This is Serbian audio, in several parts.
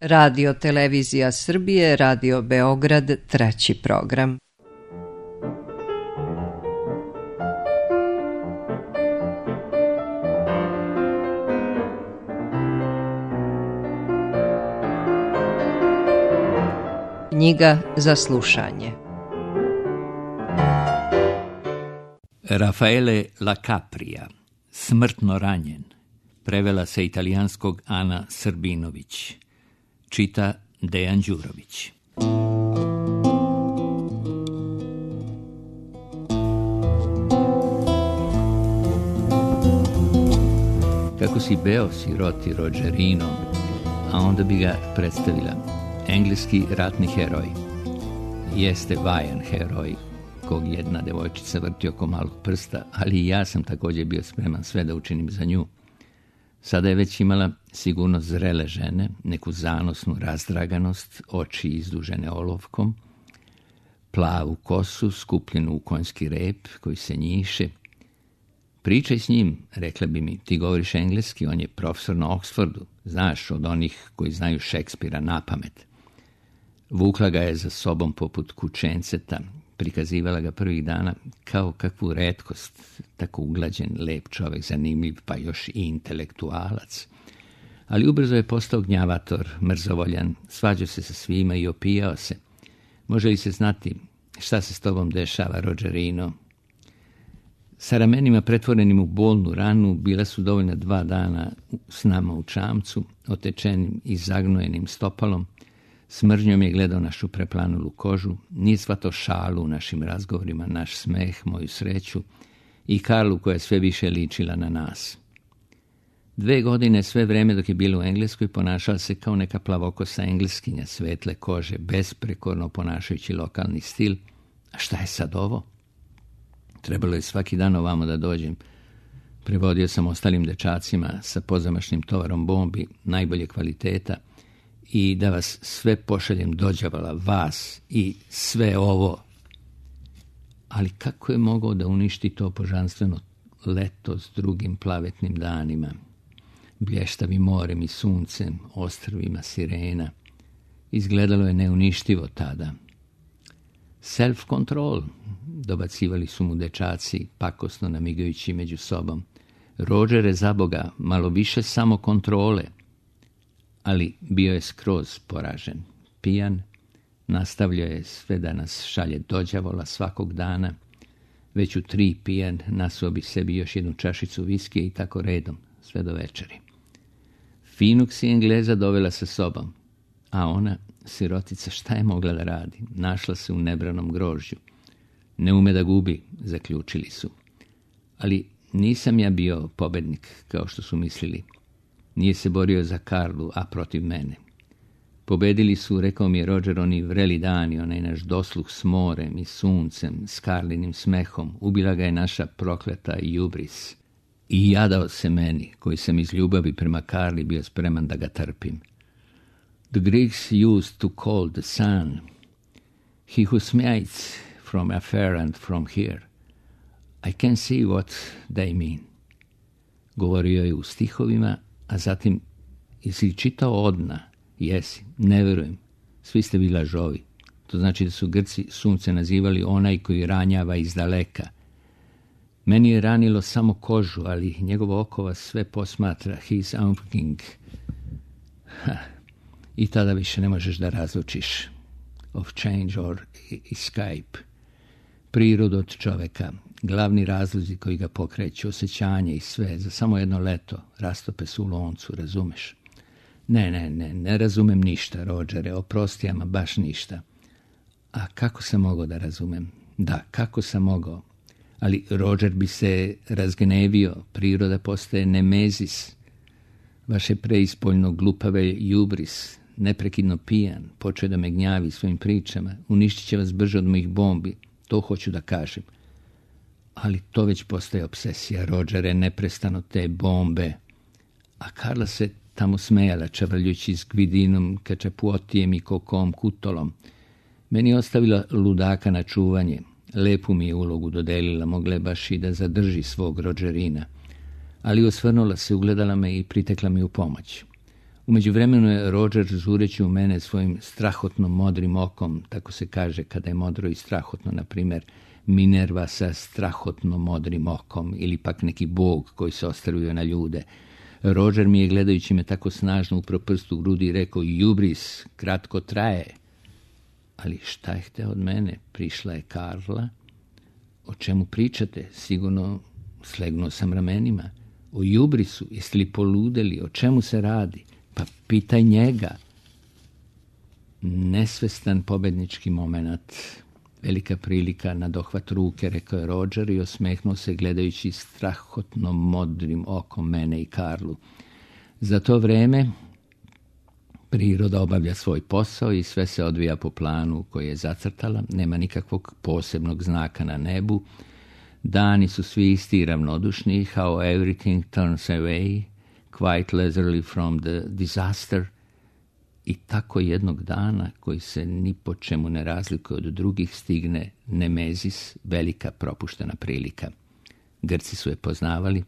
Radio Televizija Srbije, Radio Beograd, treći program. Knjiga za slušanje. Raffaele La Capria, Smrtno ranjen. Prevela sa italijanskog Ana Srbinović. Čita Dejan Đurović. Kako si beo siroti Rogerino, a onda bi ga predstavila. Engleski ratni heroj. Jeste vajan heroj, kog jedna devojčica vrti oko malog prsta, ali i ja sam također bio spreman sve da učinim za nju. Sada je već imala sigurno zrele žene, neku zanosnu razdraganost, oči izdužene olovkom, plavu kosu skupljenu u konjski rep koji se njiše. Pričaj s njim, rekla bi mi, ti govoriš engleski, on je profesor na Oxfordu, znaš, od onih koji znaju Šekspira napamet. Vukla ga je za sobom poput kućenceta, prikazivala ga prvih dana kao kakvu retkost, tako uglađen, lep čovjek, zanimljiv, pa još i intelektualac. Ali ubrzo je postao gnjavator, mrzovoljan, svađao se sa svima i opijao se. Može li se znati šta se s tobom dešava, Rogerino? Sa ramenima pretvorenim u bolnu ranu bila su dovoljna 2 dana s nama u čamcu, otečenim i zagnojenim stopalom. S mržnjom je gledao našu preplanulu kožu, nije shvatao šalu u našim razgovorima, naš smeh, moju sreću i Karlu koja je sve više ličila na nas. 2 godine, sve vreme dok je bila u Engleskoj, ponašala se kao neka plavokosa Engleskinja, svetle kože, besprekorno ponašajući lokalni stil. A šta je sad ovo? Trebalo je svaki dan ovamo da dođem. Prevodio sam ostalim dečacima sa pozamašnim tovarom bombi najbolje kvaliteta i da vas sve pošaljem dođavala, vas i sve ovo. Ali kako je mogao da uništi to božanstveno leto s drugim plavetnim danima, blještavim morem i suncem, ostrvima sirena? Izgledalo je neuništivo tada. Self-control, dobacivali su mu dečaci, pakosno namigajući među sobom. Rođere, za Boga, malo više samo kontrole. Ali bio je skroz poražen. Pijan, nastavljao je sve da nas šalje dođavola svakog dana. Već u 3 pijan nasuo bi sebi još 1 čašicu viskija i tako redom, sve do večeri. Finog si Engleza dovela sa sobom, a ona, sirotica, šta je mogla da radi? Našla se u nebranom grožđu. Ne ume da gubi, zaključili su. Ali nisam ja bio pobednik, kao što su mislili. Nije se borio za Karlu, a protiv mene. Pobedili su, rekao mi je Roger, oni vreli dani, onaj naš dosluh s morem i suncem, s Karlinim smehom. Ubila ga je naša prokleta Jubris. I jadao se meni, koji sam iz ljubavi prema Karli bio spreman da ga trpim. The Greeks used to call the sun he who smites from afar and from here. I can see what they mean. Govorio je u stihovima, a zatim, jesi čitao Odna? Jesi, ne verujem. Svi ste vi lažovi. To znači da su Grci sunce nazivali onaj koji ranjava iz daleka. Meni je ranilo samo kožu, ali njegovo oko vas sve posmatra. He is unking. I tada više ne možeš da razlučiš of change or escape. Prirodu od čoveka, glavni razlozi koji ga pokreću, osjećanje i sve, za samo jedno leto rastope su u loncu, razumeš? Ne razumem ništa, Rođere, oprosti, ama baš ništa. A kako sam mogao da razumem? Da, kako sam mogao? Ali Rođer bi se razgnevio, priroda postaje nemezis. Vaše preispoljno glupave Jubris, neprekidno pijan, počeo da me gnjavi svojim pričama, uništit će vas brže od mojih bombi, to hoću da kažem. Ali to već postaje obsesija, Rođere, neprestano te bombe. A Karla se tamo smejala, čavrljući s Gvidinom, Kačapuotijem i Kokom Kutolom. Meni je ostavila ludaka na čuvanje. Lepu mi je ulogu dodelila, mogla je baš i da zadrži svog Rođerina. Ali osvrnula se, ugledala me i pritekla mi u pomoć. U međuvremenu je Roger žureći u mene svojim strahotno modrim okom, tako se kaže kada je modro i strahotno, na primjer Minerva sa strahotno modrim okom ili pak neki bog koji se ostrvio na ljude. Roger mi je, gledajući me tako snažno, upro prst u grudi i rekao: "Jubris, kratko traje." Ali šta je hteo od mene? Prišla je Karla. "O čemu pričate?" Sigurno slegnuo sam ramenima. "O jubrisu, jeste li poludeli? O čemu se radi?" "Pa pitaj njega." Nesvestan pobednički moment. Velika prilika na dohvat ruke, rekao je Roger i osmehnuo se gledajući strahotno modrim okom mene i Karlu. Za to vreme priroda obavlja svoj posao i sve se odvija po planu koji je zacrtala. Nema nikakvog posebnog znaka na nebu. Dani su svi isti i ravnodušni. How everything turns away, quite leisurely from the disaster. I tako jednog dana, koji se ni po čemu ne razlikuje od drugih, stigne Nemezis, velika propuštena prilika. Grci su je poznavali,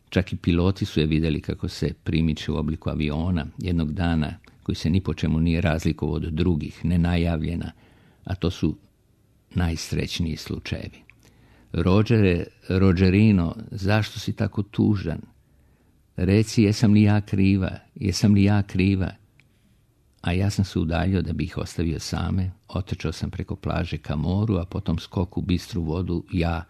čak i piloti su je vidjeli kako se primiče u obliku aviona, jednog dana koji se ni po čemu nije razlikovao od drugih, nenajavljena, a to su najsrećniji slučajevi. Rogerino, zašto si tako tužan? Reci, jesam li ja kriva? A ja sam se udaljio da bi ih ostavio same, otrčao sam preko plaže ka moru, a potom skok u bistru vodu, ja,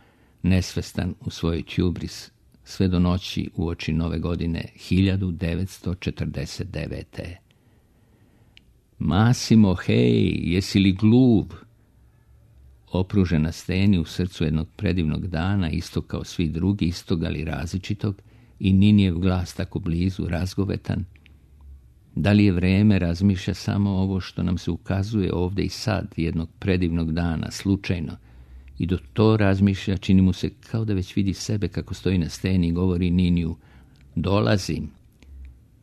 nesvestan u svojoj tjubris, sve do noći uoči nove godine 1949. Massimo, hej, jesi li gluv? Opružen na steni u srcu jednog predivnog dana, istog kao svi drugi, istog ali različitog, i Ninijev glas tako blizu, razgovetan. Da li je vreme, razmišlja samo ovo što nam se ukazuje ovdje i sad, jednog predivnog dana, slučajno. I do to razmišlja, čini mu se kao da već vidi sebe kako stoji na steni i govori Niniju: "Dolazim.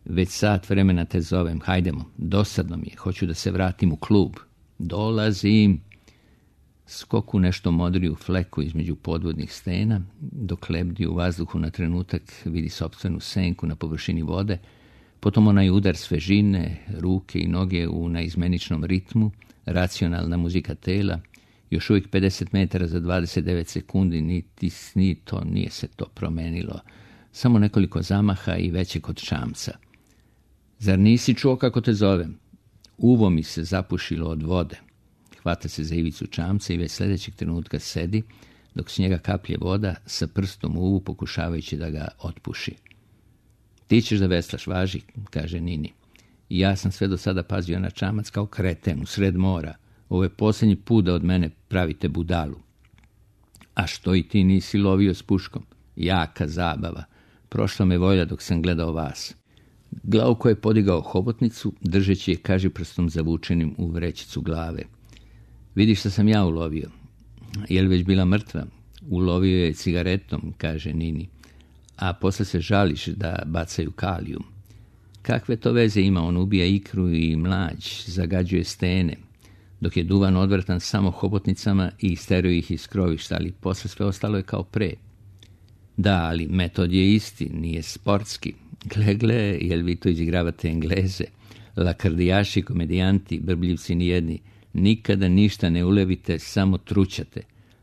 Već sat vremena te zovem, hajdemo, dosadno mi je, hoću da se vratim u klub. Dolazim." Skoku nešto modriju fleku između podvodnih stena, dok lebdi u vazduhu na trenutak vidi sopstvenu senku na površini vode, potom onaj udar svežine, ruke i noge u naizmeničnom ritmu, racionalna muzika tela, još uvijek 50 metara za 29 sekundi, nije se to promenilo, samo nekoliko zamaha i većeg od čamca. "Zar nisi čuo kako te zovem?" Uvo mi se zapušilo od vode. Hvata se za ivicu čamca i već sljedećeg trenutka sedi, dok s njega kaplje voda, sa prstom u uvu pokušavajući da ga otpuši. "Ti ćeš da veslaš, važi," kaže Nini. "Ja sam sve do sada pazio na čamac kao kreten u sred mora. Ovo je posljednji put da od mene pravite budalu." "A što i ti nisi lovio s puškom?" "Jaka zabava. Prošla me volja dok sam gledao vas." Glauko je podigao hobotnicu, držeći je kažiprstom zavučenim u vrećicu glave. "Vidiš što sam ja ulovio." "Je li već bila mrtva?" "Ulovio je cigaretom," kaže Nini. "A posle se žališ da bacaju kalijum." "Kakve to veze ima, on ubija ikru i mlađ, zagađuje stene, dok je duvan odvratan samo hobotnicama i isteruju ih iz krovišta, ali posle sve ostalo je kao pre." "Da, ali metod je isti, nije sportski. Gle, jel vi to izigravate Engleze? Lakardijaši, komedijanti, brbljivci nijedni. Nikada ništa ne ulevite, samo trućate.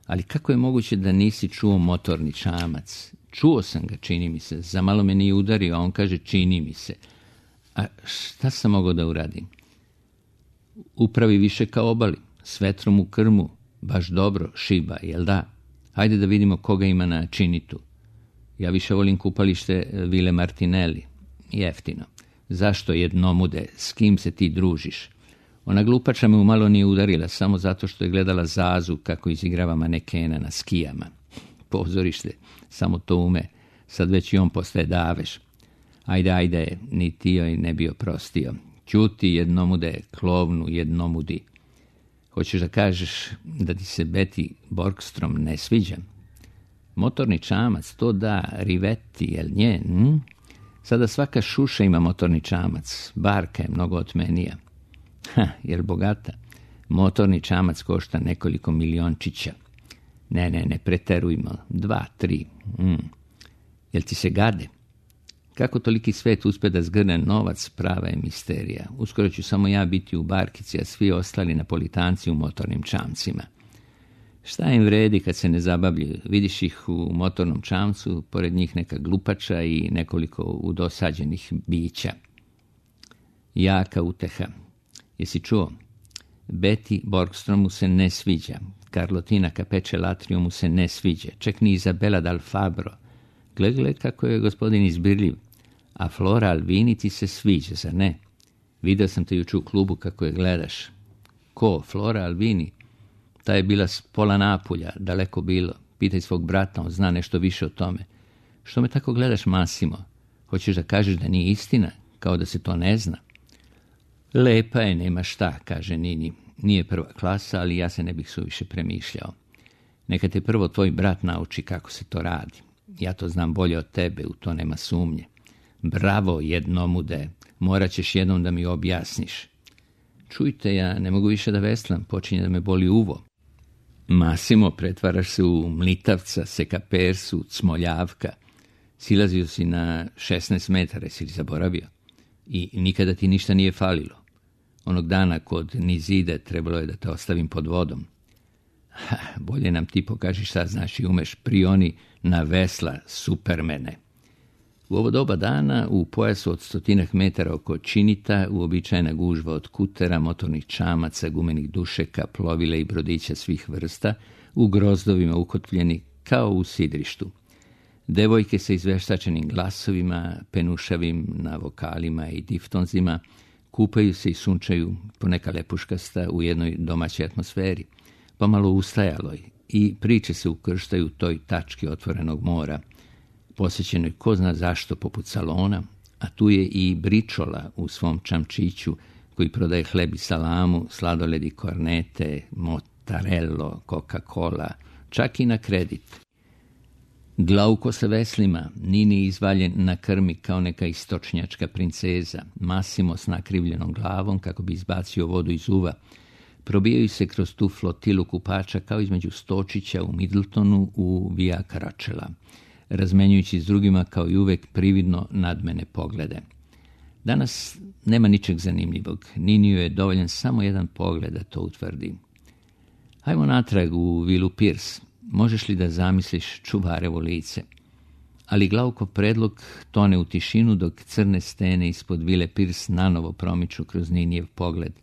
Ali kako je moguće da nisi čuo motorni čamac?" "Čuo sam ga, čini mi se. Za malo me nije udario, a on kaže čini mi se." "A šta sam mogao da uradim?" "Upravi više kao obali, s vetrom u krmu, baš dobro, šiba, jel da? Hajde da vidimo koga ima na činitu." "Ja više volim kupalište Vile Martinelli, jeftino." "Zašto jednomude, s kim se ti družiš?" Ona glupača me umalo nije udarila, samo zato što je gledala Zazu kako izigrava manekena na skijama. Pozorište, samo to ume, sad već i on postaje daveš. Ajde, ni ti joj ne bio prostio. "Ćuti jednomude, klovnu jednomudi. Hoćeš da kažeš da ti se Betty Borgstrom ne sviđa?" "Motorni čamac, to da, Rivetti, jel nje? Sada svaka šuša ima motorni čamac, barka je mnogo otmenija." "Jel bogata? Motorni čamac košta nekoliko miliončića." Ne preterujmo, 2, 3. "Jel ti se gade?" Kako toliki svet uspe da zgrne novac, prava je misterija. Uskoro ću samo ja biti u barkici, a svi ostali napolitanci u motornim čamcima. Šta im vredi kad se ne zabavljaju? Vidiš ih u motornom čamcu, pored njih neka glupača i nekoliko udosađenih bića. Jaka uteha. Jesi čuo? Betty Borgstromu se ne sviđa. Carlotina Capeče Latrio mu se ne sviđa. Čak ni Izabela Dal Fabro. Gle kako je gospodin izbirljiv. A Flora Alvini ti se sviđa, zar ne? Video sam te jučer u klubu kako je gledaš. Ko? Flora Alvini? Ta je bila s pola Napulja, daleko bilo. Pitaj svog brata, on zna nešto više o tome. Što me tako gledaš, Massimo? Hoćeš da kažeš da nije istina? Kao da se to ne zna? Lepa je, nema šta, kaže Nini. Nije prva klasa, ali ja se ne bih suviše premišljao. Neka te prvo tvoj brat nauči kako se to radi. Ja to znam bolje od tebe, u to nema sumnje. Bravo, jednomude, morat ćeš jednom da mi objasniš. Čujte, ja ne mogu više da veslam, počinje da me boli uvo. Massimo, pretvaraš se u mlitavca, sekapersu, cmoljavka. Silazio si na 16 metara, si li zaboravio? I nikada ti ništa nije falilo. Onog dana kod Nizide trebalo je da te ostavim pod vodom. Bolje nam ti pokaži šta znaš i umeš, prioni na vesla, supermene. U ovo doba dana, u pojasu od 100 metara oko Činita, uobičajena gužva od kutera, motornih čamaca, gumenih dušeka, plovila i brodića svih vrsta, u grozdovima ukotpljeni kao u sidrištu. Devojke sa izveštačenim glasovima, penušavim na vokalima i diftonzima, kupaju se i sunčaju poneka lepuškasta u jednoj domaćoj atmosferi, pomalo ustajaloj, i priče se ukrštaju toj tački otvorenog mora, posjećenoj ko zna zašto poput salona, a tu je i Bričola u svom čamčiću koji prodaje hleb i salamu, sladoledi, kornete, mozzarello, Coca-Cola, čak i na kredit. Glauko sa veslima, Nini izvaljen na krmi kao neka istočnjačka princeza, Massimo s nakrivljenom glavom kako bi izbacio vodu iz uva, probijaju se kroz tu flotilu kupača kao između Stočića u Middletonu u Via Caracalla, razmenjujući s drugima kao i uvek prividno nadmene poglede. Danas nema ničeg zanimljivog, Niniju je dovoljan samo jedan pogled da to utvrdi. Hajmo natrag u vilu Pierce. Možeš li da zamisliš čuvarevo lice? Ali Glaukov predlog tone u tišinu dok crne stene ispod vile Pierce nanovo promiču kroz Ninijev pogled,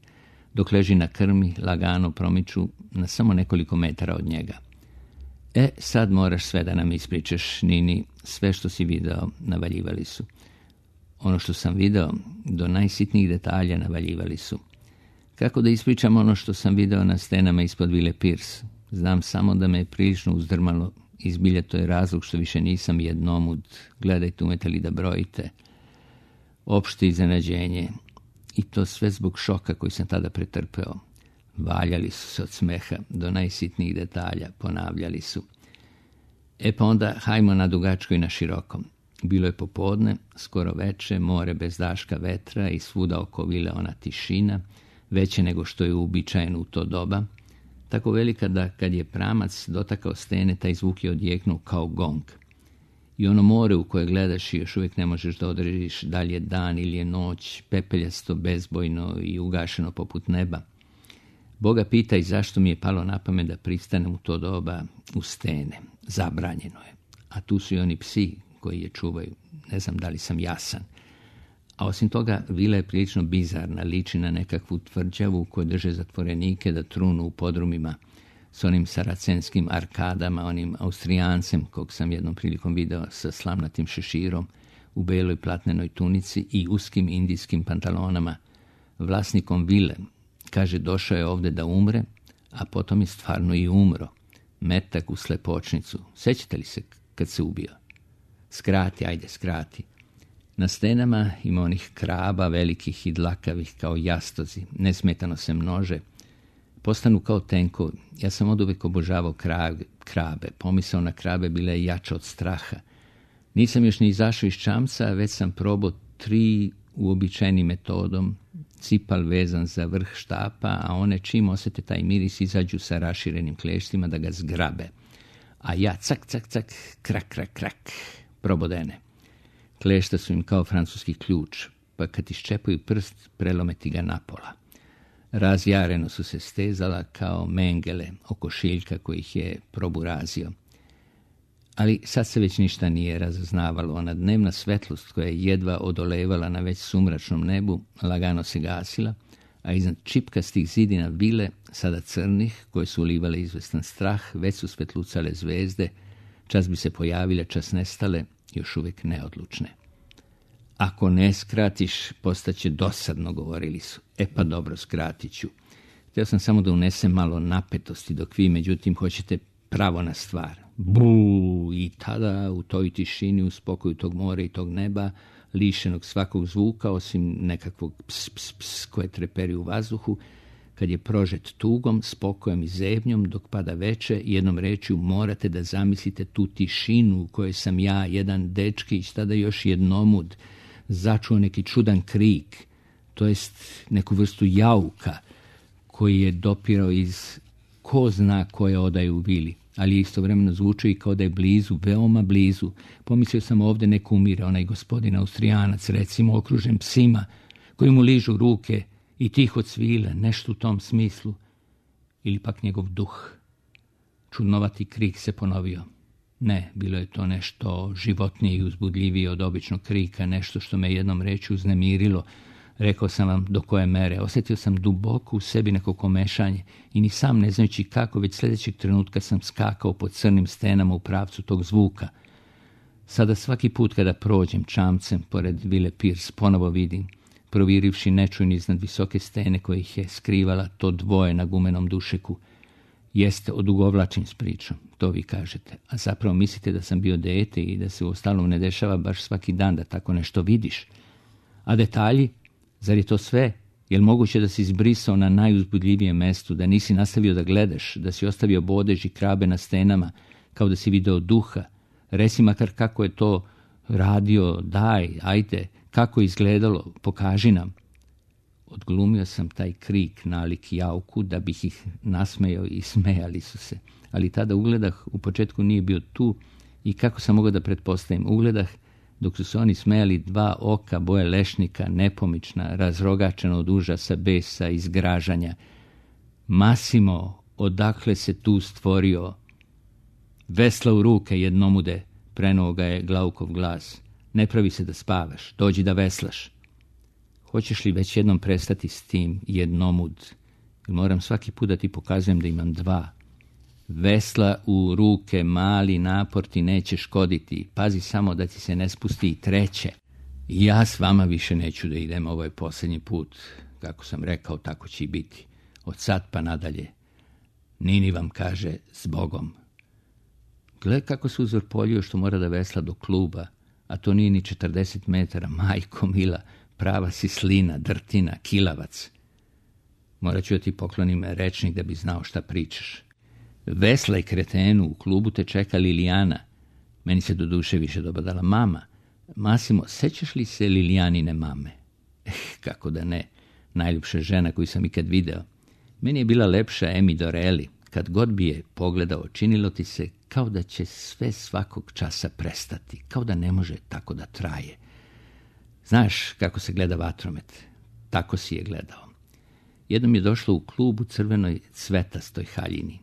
dok leži na krmi, lagano promiču na samo nekoliko metara od njega. Sad moraš sve da nam ispričaš, Nini, sve što si video navaljivali su. Ono što sam video, do najsitnijih detalja navaljivali su. Kako da ispričam ono što sam video na stenama ispod vile Pierce? Znam samo da me je prilično uzdrmalo, izbilja to je razlog što više nisam jednomud, gledajte umete li da brojite. Opšte iznenađenje, i to sve zbog šoka koji sam tada pretrpeo. Valjali su se od smeha, do najsitnijih detalja, ponavljali su. Pa onda hajmo na dugačko i na širokom. Bilo je popodne, skoro veče, more bez daška vetra i svuda oko vile ona tišina, veće nego što je uobičajeno u to doba, tako velika da kad je pramac dotakao stene, taj zvuk je odjeknuo kao gong. I ono more u koje gledaš i još uvijek ne možeš da odrediš da li je dan ili je noć, pepeljasto, bezbojno i ugašeno poput neba. Boga pitaj zašto mi je palo na pamet da pristanem u to doba u stene. Zabranjeno je. A tu su i oni psi koji je čuvaju. Ne znam da li sam jasan. A osim toga, vila je prilično bizarna, liči na nekakvu tvrđavu u kojoj drže zatvorenike da trunu u podrumima s onim saracenskim arkadama, onim Austrijancem kog sam jednom prilikom video sa slamnatim šeširom u beloj platnenoj tunici i uskim indijskim pantalonama, vlasnikom vile. Kaže, došao je ovde da umre, a potom je stvarno i umro. Metak u slepočnicu. Sećate li se kad se ubio? Skrati, ajde, skrati. Na stenama ima onih kraba, velikih i dlakavih kao jastozi. Nesmetano se množe. Postanu kao tenkovi. Ja sam oduvek obožavao krabe. Pomisao na krabe bila je jača od straha. Nisam još ni izašao iz čamca, već sam probao 3 uobičajenim metodom, cipal vezan za vrh štapa, a one čim osjete taj miris izađu sa raširenim kleštima da ga zgrabe. A ja cak, cak, cak, krak, krak, krak, probodene. Klešta su im kao francuski ključ, pa kad iščepaju prst, prelometi ga napola. Razjareno su se stezala kao mengele oko šiljka koji ih je proburazio. Ali sad se već ništa nije razaznavalo. Ona dnevna svetlost koja je jedva odolevala na već sumračnom nebu, lagano se gasila, a iznad čipkastih zidina vile, sada crnih, koje su ulivale izvestan strah, već su svetlucale zvezde, čas bi se pojavile, čas nestale, još uvijek neodlučne. Ako ne skratiš, postaće dosadno, govorili su. Pa dobro, skratit ću. Htio sam samo da unesem malo napetosti, dok vi, međutim, hoćete pravo na stvar. Buu! I tada, u toj tišini, u spokoju tog mora i tog neba, lišenog svakog zvuka, osim nekakvog ps, ps, ps, koje treperi u vazduhu, kad je prožet tugom, spokojem i zebnjom, dok pada veče, jednom rečju morate da zamislite tu tišinu u kojoj sam ja, jedan dečkić, tada još jednomud, začuo neki čudan krik, to jest neku vrstu jauka, koji je dopirao iz ko zna koje odaje u vili, ali je istovremeno zvučao i kao da je blizu, veoma blizu. Pomislio sam ovdje neko umire, onaj gospodin Austrijanac, recimo, okružen psima, koji mu ližu ruke i tiho cvile, nešto u tom smislu, ili pak njegov duh. Čudnovati krik se ponovio. Ne, bilo je to nešto životnije i uzbudljivije od običnog krika, nešto što me jednom rečju uznemirilo. Rekao sam vam do koje mere. Osjetio sam duboko u sebi neko komešanje i ni sam ne znajući kako, već sljedećeg trenutka sam skakao po crnim stenama u pravcu tog zvuka. Sada svaki put kada prođem čamcem pored vile Pierce, ponovo vidim, provirivši nečujni iznad visoke stene koje ih je skrivala to dvoje na gumenom dušeku. Jeste, odugovlačim s pričom, to vi kažete, a zapravo mislite da sam bio dete i da se uostalom ne dešava baš svaki dan da tako nešto vidiš. A detalji? Zar je to sve? Je li moguće da si izbrisao na najuzbudljivijem mestu, da nisi nastavio da gledaš, da si ostavio bodež i krabe na stenama, kao da si video duha? Reci makar kako je to radio, daj, ajde, kako je izgledalo, pokaži nam. Odglumio sam taj krik nalik jauku da bih ih nasmejao i smejali su se. Ali tada ugledah u početku nije bio tu i kako sam mogao da pretpostavim, ugledah dok su se oni smejali dva oka boje lešnika, nepomična, razrogačena od užasa, besa i zgražanja. Masimo, odakle se tu stvorio? Vesla u ruke jednomude, prenuo ga je Glaukov glas. Ne pravi se da spavaš, dođi da veslaš. Hoćeš li već jednom prestati s tim, jednomud? Moram svaki put da ti pokazujem da imam dva. Vesla u ruke, mali napor ti neće škoditi. Pazi samo da ti se ne spusti i treće. Ja s vama više neću da idem, ovo je posljednji put. Kako sam rekao, tako će i biti. Od sad pa nadalje. Nini vam kaže, s Bogom. Gle kako se uzvrpoljio što mora da vesla do kluba, a to nije ni 40 metara, majko mila, prava si slina, drtina, kilavac. Morat ću da ti poklonim rečnik da bi znao šta pričaš. Vesla i kretenu, u klubu te čeka Lilijana. Meni se do duše više dobadala mama. Masimo, sećaš li se Lilijanine mame? Kako da ne, najljepša žena koju sam ikad video. Meni je bila lepša Emi Doreli. Kad god bi je pogledao, činilo ti se kao da će sve svakog časa prestati, kao da ne može tako da traje. Znaš kako se gleda vatromet? Tako si je gledao. Jednom je došlo u klub u crvenoj cvetastoj haljini.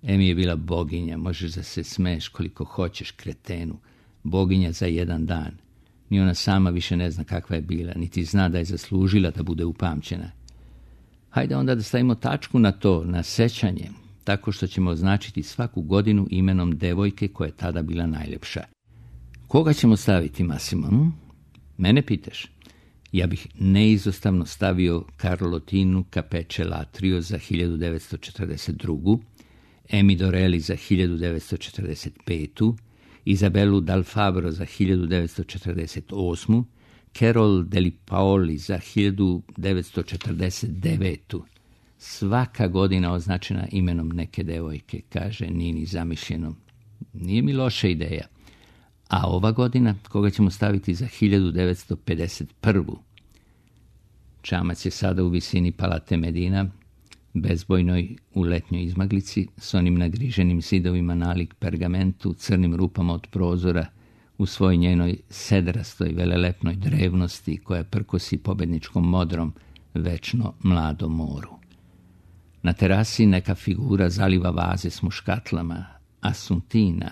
Emi je bila boginja, možeš da se smeješ koliko hoćeš, kretenu. Boginja za jedan dan. Ni ona sama više ne zna kakva je bila, niti zna da je zaslužila da bude upamćena. Hajde onda da stavimo tačku na to, na sećanje, tako što ćemo označiti svaku godinu imenom devojke koja je tada bila najljepša. Koga ćemo staviti, Masimo? Mene pitaš? Ja bih neizostavno stavio Carlotinu Capeče Latrio za 1942. Emi Doreli za 1945. Izabelu Dal Fabro za 1948. Carol Deli Paoli za 1949. Svaka godina označena imenom neke devojke, kaže Nini zamišljeno. Nije mi loša ideja. A ova godina, koga ćemo staviti za 1951. Čamac je sada u visini Palate Medina, bezbojnoj u letnjoj izmaglici, s onim nagriženim zidovima nalik pergamentu, crnim rupama od prozora, u svoj njenoj sedrastoj velelepnoj drevnosti koja prkosi pobedničkom modrom večno mladom moru. Na terasi neka figura zaliva vaze s muškatlama, Asuntina.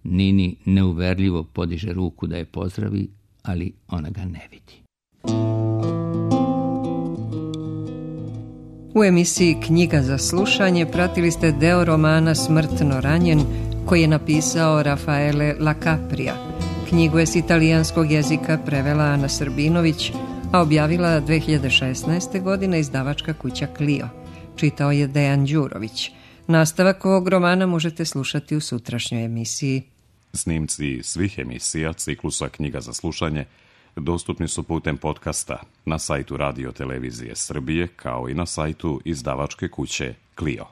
Nini neuverljivo podiže ruku da je pozdravi, ali ona ga ne vidi. U emisiji Knjiga za slušanje pratili ste deo romana Smrtno ranjen koji je napisao Rafaele Lacapria. Knjigu je s italijanskog jezika prevela Ana Srbinović, a objavila 2016. godine izdavačka kuća Clio. Čitao je Dejan Đurović. Nastavak ovog romana možete slušati u sutrašnjoj emisiji. Snimci svih emisija ciklusa Knjiga za slušanje dostupni su putem podcasta na sajtu Radio Televizije Srbije kao i na sajtu izdavačke kuće Clio.